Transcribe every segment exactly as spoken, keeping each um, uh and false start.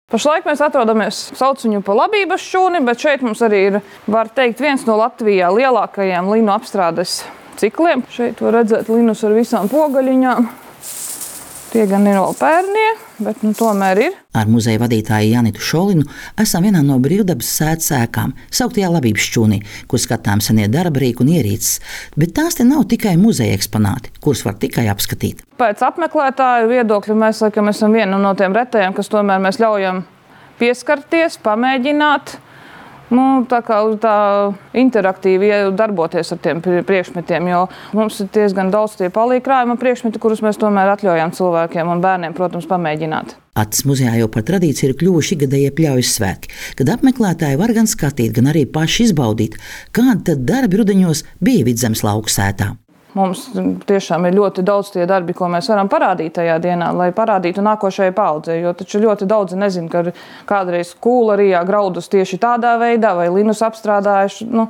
Pašlaik mēs atrodamies, sauc viņu pa Labības šūni, bet šeit mums arī ir, var teikt, viens no Latvijā lielākajiem linu apstrādes cikliem. Šeit var redzēt linus ar visām pogaļiņām. Tie gan ir vēl pērnie, bet nu tomēr ir. Ar muzeja vadītāju Janitu Šolinu esam vienā no brīvdabas sētas ēkām, sauktajā Labības šķūnī, kur skatām senie darba rīki un ierīces. Bet tās te nav tikai muzeja eksponāti, kurus var tikai apskatīt. Pēc apmeklētāju viedokļa mēs laikam esam viena no tiem retajiem, kas tomēr mēs ļaujam pieskarties, pamēģināt. Nu, tā kā tā interaktīvi darboties ar tiem priekšmetiem, jo mums ir diezgan daudz tie palīgkrājuma priekšmeti, kurus mēs tomēr atļaujam cilvēkiem un bērniem, protams, pamēģināt. Acis muzejā jau par tradīciju ir kļuvuši ikgadējie pļaujas svētki, kad apmeklētāji var gan skatīt, gan arī paši izbaudīt, kādi tad darbi rudeņos bija Vidzemes lauku sētā. Mums tiešām ir ļoti daudz tie darbi, ko mēs varam parādīt tajā dienā, lai parādītu nākošajai paudzei, jo taču ļoti daudzi nezin, ka kādreiz kūlarijā graudus tieši tādā veidā vai linus apstrādājuši, nu,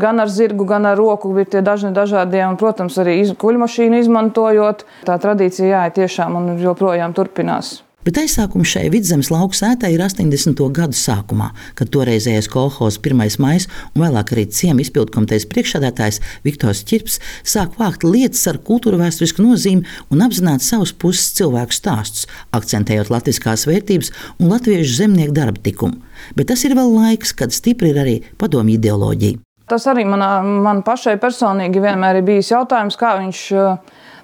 gan ar zirgu, gan ar roku ir tie dažni dažādie, un, protams, arī kuļmašīnu izmantojot. Tā tradīcija jā, tiešām un joprojām turpinās. Bet aizsākums šai Vidzemes lauku sētai ir astoņdesmito gadu sākumā, kad toreizējais kolhozs pirmais maijs un vēlāk arī ciema izpildkomitejas priekšsēdētājs Viktors Ķirps sāk vākt lietas ar kultūrvēsturisku nozīmi un apzināt savus puses cilvēku stāstus, akcentējot latviskās vērtības un latviešu zemnieku darba tikumu. Bet tas ir vēl laiks, kad stipri ir arī padomju ideoloģija. Tas arī manā, man pašai personīgi vienmēr ir bijis jautājums, kā viņš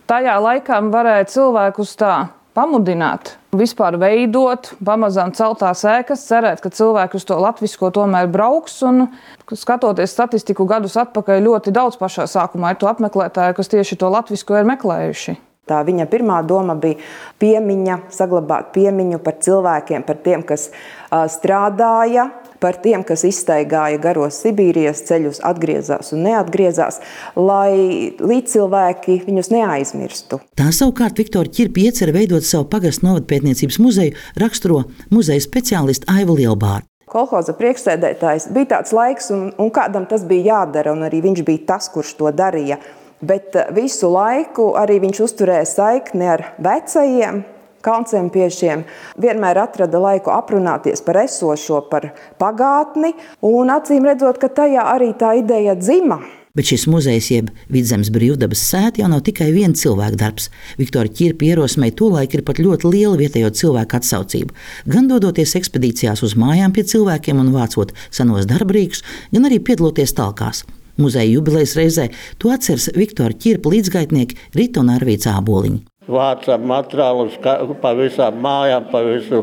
tajā laikā varēja cilvēkus tā pamudināt, vispār veidot, pamazām celtās ēkas, cerēt, ka cilvēki uz to latvisko tomēr brauks. Un, skatoties statistiku gadus atpakaļ, ļoti daudz pašā sākumā ir to apmeklētāju, kas tieši to latvisko ir meklējuši. Tā viņa pirmā doma bija piemiņa, saglabāt piemiņu par cilvēkiem, par tiem, kas uh, strādāja, par tiem, kas izstaigāja garos Sibīrijas ceļus, atgriezās un neatgriezās, lai līdzcilvēki viņus neaizmirstu. Tā savukārt Viktora Ķirpa iecer veidot savu pagastu novadpētniecības muzeju, raksturo muzeja speciālisti Aiva Lielbārda. Kolhoza priekšsēdētājs bija tāds laiks, un, un kādam tas bija jādara, un arī viņš bija tas, kurš to darīja. Bet visu laiku arī viņš uzturēja saikni ar vecajiem kalncempiešiem, vienmēr atrada laiku aprunāties par esošo, par pagātni, un acīm redzot, ka tajā arī tā ideja dzima. Bet šis muzejs jeb Vidzemes brīvdabas sēta jau nav tikai viena cilvēka darbs. Viktora Ķirpa ierosmei tolaik ir pat ļoti liela vietējo cilvēku atsaucība. Gan dodoties ekspedīcijās uz mājām pie cilvēkiem un vācot senos darbrīkus, gan arī piedaloties talkās. Muzeja jubilejas reizē to atceras Viktora Ķirpa līdzgaitnieki Rita un Arvīts Āboliņi. Vācām materiālus pa visām mājām, pa visu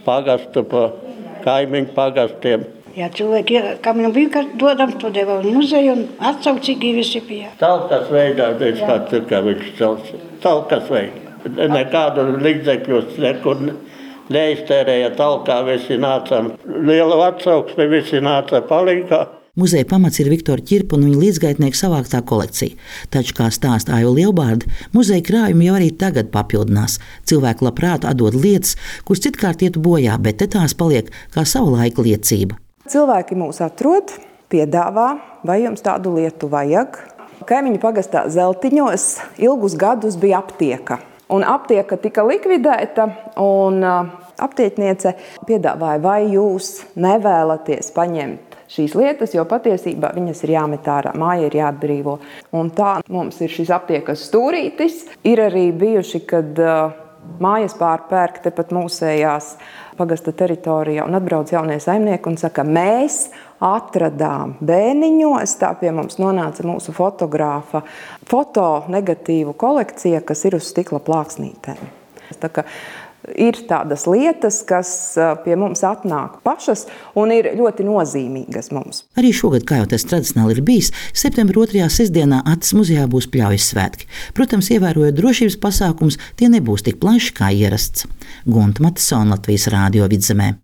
pagastu, pa kaimiņu pagastiem. Ja cilvēki, kam jau bija, dodam to deva uz muzeju un atsaucīgi visi bija. Talkas veidā, viņš kā cirka viņš celts. Talkas veidā. Nekādu līdzekļus nekur neiztērēja talkā, visi nācām. Liela atsauksme, visi nāca palīgā. Muzeja pamats ir Viktora Ķirpa un viņa līdzgaitnieku savāktā kolekcija. Taču, kā stāsta Aiva Lielbārda, muzeja krājumi jau arī tagad papildinās. Cilvēki labprāt atdod lietas, kuras citkārt ietu bojā, bet te tās paliek kā savu laiku liecība. Cilvēki mūs atrod, piedāvā, vai jums tādu lietu vajag. Kaimiņu pagastā Zeltiņos ilgus gadus bija aptieka. Un aptieka tika likvidēta, un aptiekniece piedāvāja, vai jūs nevēlaties paņemt šīs lietas, jo patiesībā viņas ir jāmet ārā, māja ir jāatbrīvo. Un tā mums ir šis aptiekas stūrītis. Ir arī bijuši, kad uh, mājas pārpērk tepat mūsējās pagasta teritorijā un atbrauc jaunie saimnieki un saka, mēs atradām bēniņos, tā pie mums nonāca mūsu fotogrāfa fotonegatīvu kolekcija, kas ir uz stikla plāksnītēm. Tā kā ir tādas lietas, kas pie mums atnāk pašas un ir ļoti nozīmīgas mums. Arī šogad, kā jau tas tradicionāli ir bijis, septembra otrajā sestdienā Acis muzejā būs pļaujas svētki. Protams, ievērojot drošības pasākums, tie nebūs tik plaši kā ierasts. Gunta Matisona, Latvijas Rādio Vidzemē.